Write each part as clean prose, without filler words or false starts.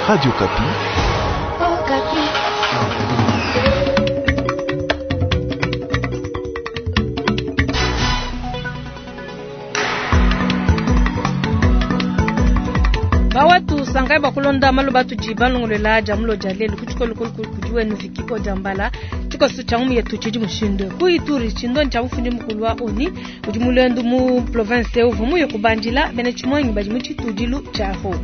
Radio Okapi. Bawatu sangai bakulonda malu batudi balongolola dia mulo dia lelu ku tshikolo kudi wenu Vicky Odiambala. Tshikoso tshia ngumu yetu tshidi mushindu ku Ituri, tshindoni tshia mufundi mukulu wa ONU udi mulendu mu province uvua muye kubandila bena tshimuangi badi mu tshitudilu tshia Ho.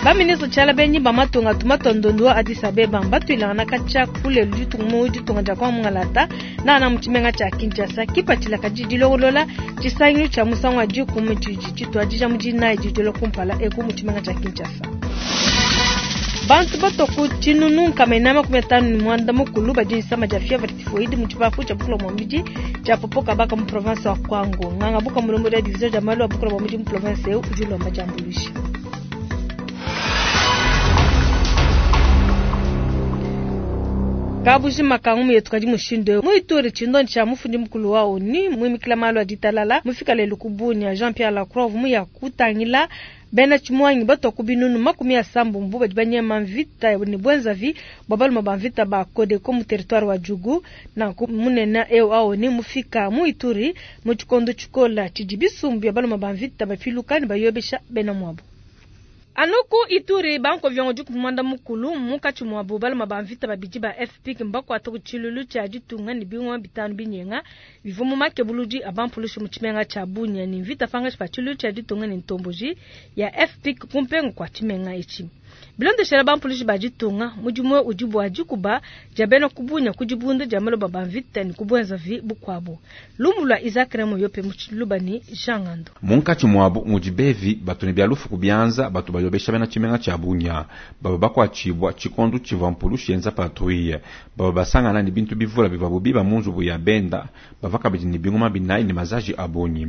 Baministre tshiala benyi ba matunga tumatondondo wa Addis Abeba mbatuilangana katshia kulelu ditunga mu ditunga dia kwa Mungalata nana mu tshimenga tshia Kinshasa. Kipatshila kadi dilongolola tshisangilu tshia musangu wa dikumi tshidi tshituadija mu dinayi didilo kumpala eku mu tshimenga tshia Kinshasa. Bantu batua ku tshinunu nkama inayi 59 badi disama dia fièvre typhoïde mu tshipapu tshia bukula bua mubidi tshia Popokabaka mu province wa Kwango. Nganga buka mulombodi wa division dia malu a bukula bua mubidi mu province eu udi ulomba diambuluisha. Kabujima ka ngumu yetu kadi mushindu eu. Mu Ituri, tshindonyi tshia mufundi mukulu wa ONU muimikila malu a ditalala mufika lelu ku Bunia. Jean-Pierre Lacroix muya kutangila bena tshimuangi batua ku binunu 70 badi banyema mvita ne bwenzavi bua balume ba mvita ba Codeco mu territoire wa Djugu. Nanku munene eu wa ONU mufika mu Ituri mu tshikondo tshikola tshidi bisumbu bia balume ba mvita bapiluka ne bayobesha bena muabu. Anu ku Ituri banko viongo diku mwanda mukulu munkatshi muabu balume ba mvita babidi ba FPIC mbakuata ku tshilulu tshia ditunga ne bingoma bitanu binyenga bivua mu makebuludi a bampulushi mu tshimenga tshia Bunia ne mvita pangatshi pa tshilulu tshia ditunga ne ntomboji ya FPIC ku mpengu kua tshimenga etshi. Bilondeshela bampulushi ba ditunga mudimu udi bua dikuba dia bena ku Bunia ku dibunda dia maloba ba mvita ne ku bwenzavi bukuabu. Lumu lua Isaac Remo Yope mu Tshiluba ne Jean Ngando. Munkatshi muabu mudi bevi batu ne bia lufu ku bianza batu bayobesha bena tshimenga tshia Bunia baba bakuatshibua tshikondo tshivua mpulushi yenza patrouille baba basangana ne bintu bivula bivuabu biba mu nzubu ya benda bava kabidi ne bingoma binayi ne mazaji a bungi.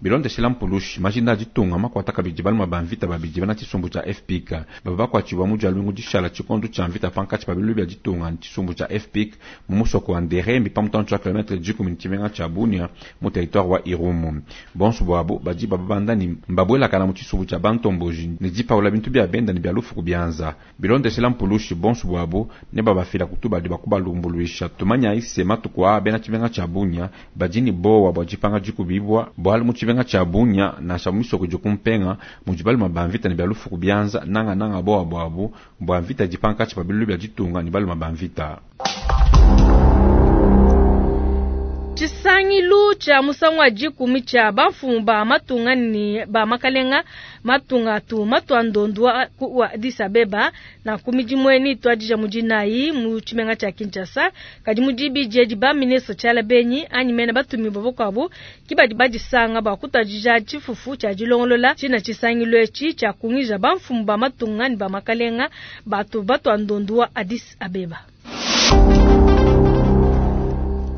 Bilondeshela mpulushi majinda a ditunga makuata kabidi balume ba mvita babidi bena tshisumbu tshia FPIC baba bakuatshibua mu dia lumingu dishala tshikondo tshia mvita pankatshi pa biluilu bia ditunga ne tshisumbu tshia FPIC mu musoko wa Nderembi pa mutantshi wa kilometre dikumi ne tshimenga tshia Bunia mu territoire wa Irumu. Bonso buabu badi bababanda ne mbabwelakana mu tshisumbu tshia bantomboji ne dipaula bintu bia benda ne bia lufu ku bianza. Bilondeshela mpulushi bonso buabu ne babafila ku tubadi bua kubalumbuluisha. Tumanyayi se matuku aa bena tshimenga tshia Bunia badi ne bowa bua dipanga dikubibua bualu mu tshimenga tshia Bunia nansha mu misoko idi ku mpenga mudi balume ba mvita ne bia lufu ku bianza nangananga bowa buabu bua mvita idi pankatshi pa biluilu bia ditunga ne balume ba mvita. Tshisangilu tshia musangu wa dikumi tshia bamfumu ba matunga ne ba makalenga matunga atu matua ndondu wa wa Addis Abeba na ku midimu eni tuadija mu dinayi mu tshimenga tshia Kinshasa. Kadi mu dibidi edi ba ministre tshiala benyi anyi mena batumibue bakuabu ki badi badisanga bua kutuadija tshifufu tshia dilongolola tshina tshisangilu etshi tshia kungija bamfumu ba matunga ne ba makalenga batu batua ndondu wa Addis Abeba.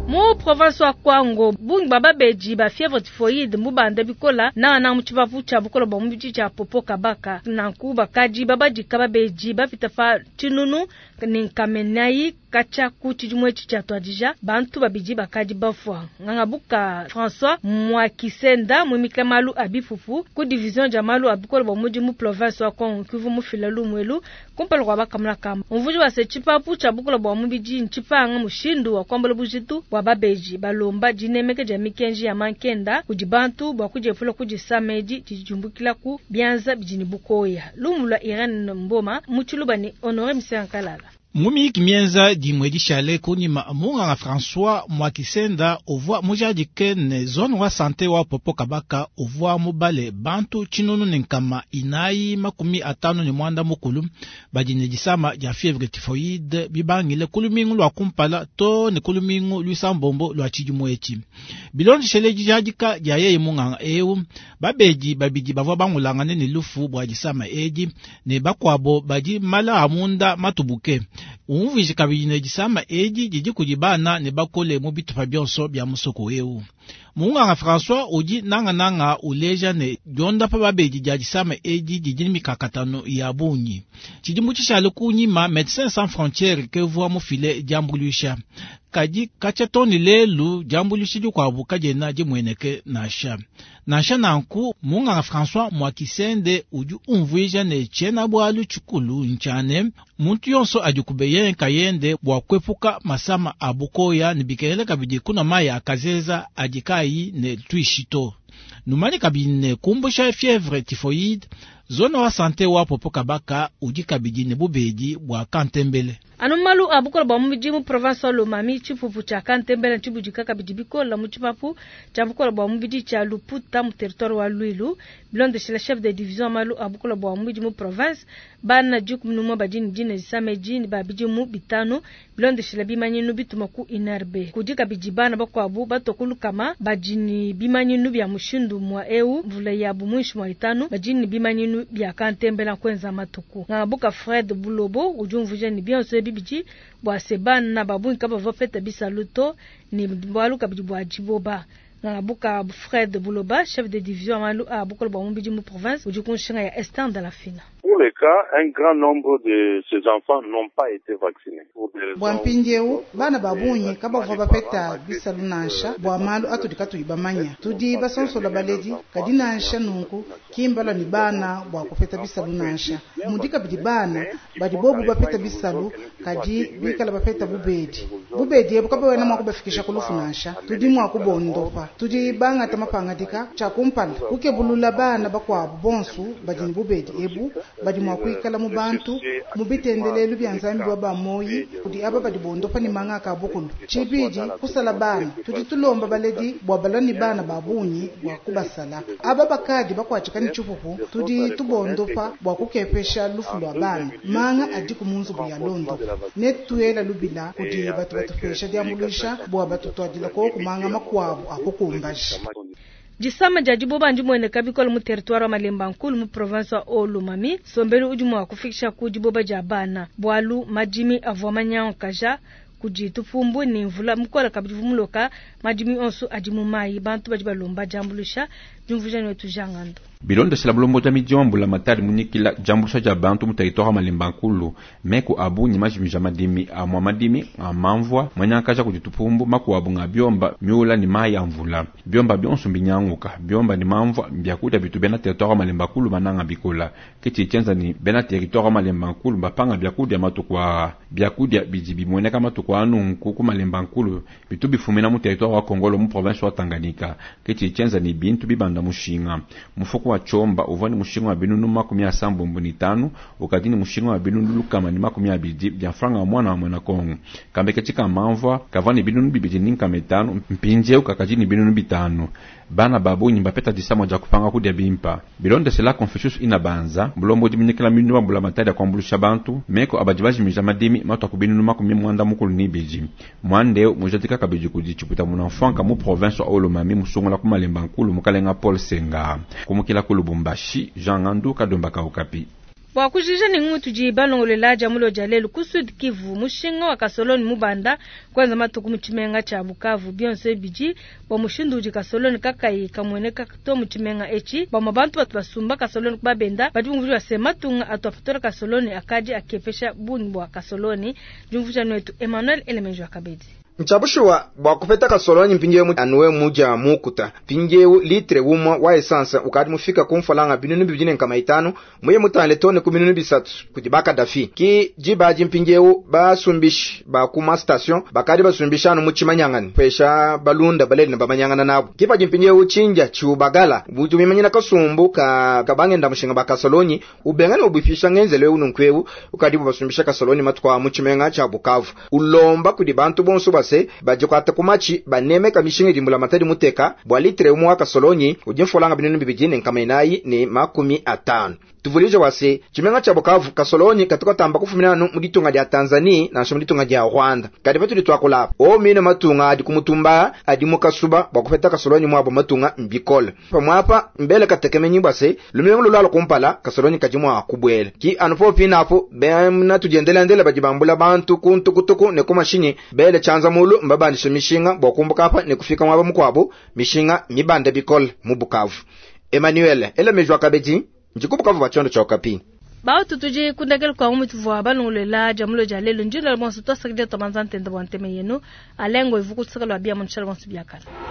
Mu province wa Kwango, bungi bwa babedi ba fièvre typhoïde mbubanda bikola nana mu tshipapu tshia bukola bwa mubidi tshia Popokabaka. Nanku bakadi babadika babedi bapita pa tshinunu ne nkamenayi katshia ku tshidimu etshi tshia tuadija bantu babidi bakadi bafua. Ngangabuka François Mwakisenda muimikila malu a bipupu ku division dia malu a bukola bwa mubidi mu province wa Kwango Kivu mufila lumuelu kumpala kua bakamuna kamba. Umvuji wa se tshipapu tshia bukola bwa mubidi ntshipanga mushindu wa kuambula bujitu bwa babeji balomba dinemeka dia mikenji ya mankenda kudi bantu bua kudiepula ku disama edi didi diumbukila ku bianza bidi ne bukoya. Lumu lua Irene Mboma mu Tshiluba ne Honore Misenga Kalala. Mumiki mienza dimue dishale kunyima munganga François Mwakisenda uvua mujadike ne zone wa sante wa Popokabaka uvua mubale bantu tshinunu ne nkama inayi 59 badi ne disama dia fièvre typhoïde bibangile ku lumingu lua kumpala to ne ku lumingu luisambombo lua tshidimu etshi. Bilondeshele dijadika dia yeye munganga eu, babedi babidi bavua bangulangane ne lufu bua disama edi ne bakuabo badi mala a munda matubuke. Umvuije kabidi ne disama edi didi kudi bana ne bakole mu bitupa bionso bia musoko eu. Munganga François udi nangananga uleja ne diondapa babedi dia disama edi didi ne mikakatano ya bungi. Tshidimu tshishale kunyima Médecins Sans Frontières kevua mufile diambuluisha. Kadi katshia too ne lelu diambuluisha dikuabu kadiena dimueneke nansha. Nansha nanku munganga François Mwakisende udi umvuija ne tshiena-bualu tshikulu ntshia ne muntu yonso adikube nkayende bua kuepuka masama a bukoya ne bikengela kabidi kunua mayi a kazeza adi kaayi ne tuishi to. Numanye kabidi ne kumbusha fièvre typhoïde, zone wa santé wa Popokabaka udi kabidi ne bubedi bua kantembele. Anu malu a bukole bua mubidi mu province wa Lomami, tshipupu tshia kantembele ntshibudika kabidi bikole mu tshipapu tshia bukole bua mubidi tshia Luputa mu territoire wa Luilu. Bilondeshile chef de division malu a bukole bua mubidi mu province, bana 11 badi ne dina disama edi ne ba bidimu 5 bilondeshile bimanyinu bituma ku INRB. Kudi kabidi bana bakuabu batua ku lukama badi ne bimanyinu bia mushindu mwa eu, mvula yabu muinshi mwa 5 badi ne bimanyinu bia kantembela kwenza matuku. Ngabuka Fred Bulobo udi umvuija ne bionso ebi bidi bua se bana babungi kabavua bapeta bisalu to ne bualu kabidi bua diboba. Ngabuka Fred Buloba, chef de division malu a bukole bua mubidi mu province, udi ku nshinga ya Esther Ndalafina. Pour les cas, un grand nombre de ces enfants n'ont pas été vaccinés. Bua mpindieu bana ba bungi kabavua bapeta bisalu nansha bua malu atudi katuyi bamanya. Tudi basonsola baledi kadi nansha nunku kimbalua ne bana bua kupeta bisalu nansha. Mudi kabidi bana badi bobu bapeta bisalu kadi bikala bapeta bubedi. Bubedi ebu kabawena mua kubafikisha ku lufu nansha. Tudi mua kubondopa. Tudi bangata mapangadika tshia kumpala kukebulula bana bakuabu bonso badi ne bubedi ebu badi mua kuikala mu bantu mu bitendelelu bia Nzambi wa bamoyi kudi aba badi bondopa ne manga ka bukulu. Tshibidi kusala bana tudi tulomba baledi bua balua ne bana ba bungi bua kubasala. Aba bakadi bakuatshika ne tshipupu tudi tubondopa bua kukepesha lufu lua bana. Manga adi ku munzubu ya londo ne tuela lubila kudi batu batupesha diambuluisha bua batutuadila koku manga makuabu akukumbaja. Disama dia diboba ndimueneka bikole mu territoire wa Malemba Nkulu mu province wa Haut-Lomami. Sombelu udi mua kufikisha ku diboba dia bana bualu madimi avua manyankaja kudi tupumbu ne mvula mukole kabidi vumuloka madimi onso adi mu mayi. Bantu badi balomba diambuluisha diumvuija ne tujangando. Bilondeshela bulombo dia midi wa mbula matari munyikila diambuluisha dia bantu mu territoire wa Malemba Nkulu meku abu ni majimija madimi amwa madimi a mamvua manyankaja kudi tupumbu makuabu nga biomba miula ni mayi ya mvula biomba bionso mbinyanguka biomba ni mamvua byakudia bitu bena territoire wa Malemba Nkulu mananga bikola kiti chenza ni bena territoire wa Malemba Nkulu bapanga byakudia matuku a byakudia bidi bimueneka matuku anu nkuku Malemba Nkulu bitu bifumina mu territoire wa Kongolo mu province wa Tanganyika kiti chenza ni bintu bibanda mushinga mufuku wa chomba uvua ni mushinga wa binunu 75 ukadi ni mushinga wa binunu lukama ni 20 bya franga wa mwana wa mwana Kongo kambe ketika mamvua kavua ni binunu 2 ni nkama 5 mpinje ukakaji ni binunu 5 bana babunyi bapeta disamo ja kupanga kudia bimpa bilonde sela Confucius inabanza bulombo diminikila minu wa bula matari ya kuambulusha bantu meko abadi bajimija madimi matu akubinunu 92 mwandeo mujatika kabidi kudi chiputa munamfanka mu province wa Haut-Lomami musungula ku Malemba Nkulu mukalenga Paul Senga kumukila ku Lubumbashi Jean Ngandu Kadomba Kaukapi. Bua kujija ni ngutu ji balongolela dia mulo dia lelu ku Sud Kivu mushinga wa kasoloni mubanda kwanza matuku mu tshimenga tshia Bukavu bionso ebidi bua mushindu udi kasoloni kakayi kamueneka to mu tshimenga etshi bamwe bantu batu basumba kasoloni kubabenda badi bumvua se matunga atu apatola kasoloni akadi akepesha bungi bua kasoloni diumvuija netu Emmanuel Elemenjo Akabedi. Nchabushuwa bua kupeta kasoloni mpindieu anuwe muja mukuta mpindieu litre umwe wa essence ukadi mufika ku mfalanga binunu 2.5 muye mutale tone ku binunu 3 kudi bakadafi ki jibaji mpindieu basumbishi ba kuma station bakadi basumbisha anu muchimanyangani pesha balunda baleli na bamanyangana nabo kipaji mpindieu chinja chiubagala butu mimanyina kasumbu ka kabangenda mushinga bakasoloni ubengane ubifisha ngenzele ununkweu ukadi basumbisha kasoloni matukwa muchimenga cha Bukavu ulomba kudi bantu bonso base bajikwata kumachi banemeka mishinga dimbula matadi muteka bwa litre umwe wa kasolonyi udi mfolanga binunu 2 ne nkama 450. Tuvuluija bua se, tshimenga tshia Bukavu kasolonyi katu katamba kufumina anu mu ditunga dia Tanzanie nansha mu ditunga dia Rwanda. Kadi patudi tuakula apa, owu mine matunga adi ku mutumba adi mu kasuba bua kupeta kasolonyi muabu matunga mbikole. Pamuapa mbele katekemenyi bua se, lumingu lulualua kumpala kasolonyi kadi mua kubuela. Ki anu popu pinapu bena tudiendelendele badi bambula bantu ku ntukutuku ne ku mashinyi bele tshianza mulu mbabandishe mishinga bua kumbuka apa ne kufika muaba mukuabu, mishinga mibande bikole mu Bukavu. Emmanuel, ela meji wa kabedi, ndi ku Bukavu bua tshiondo tshia Okapi. Bautu tudi kundekela kua mu tuvua balongolola dia mulo dia lelu ndinda bonso tuasakidila tuabanza ntende bua nteme yenu alengo ivuku luseke lua bia mu nshala bonso biakala.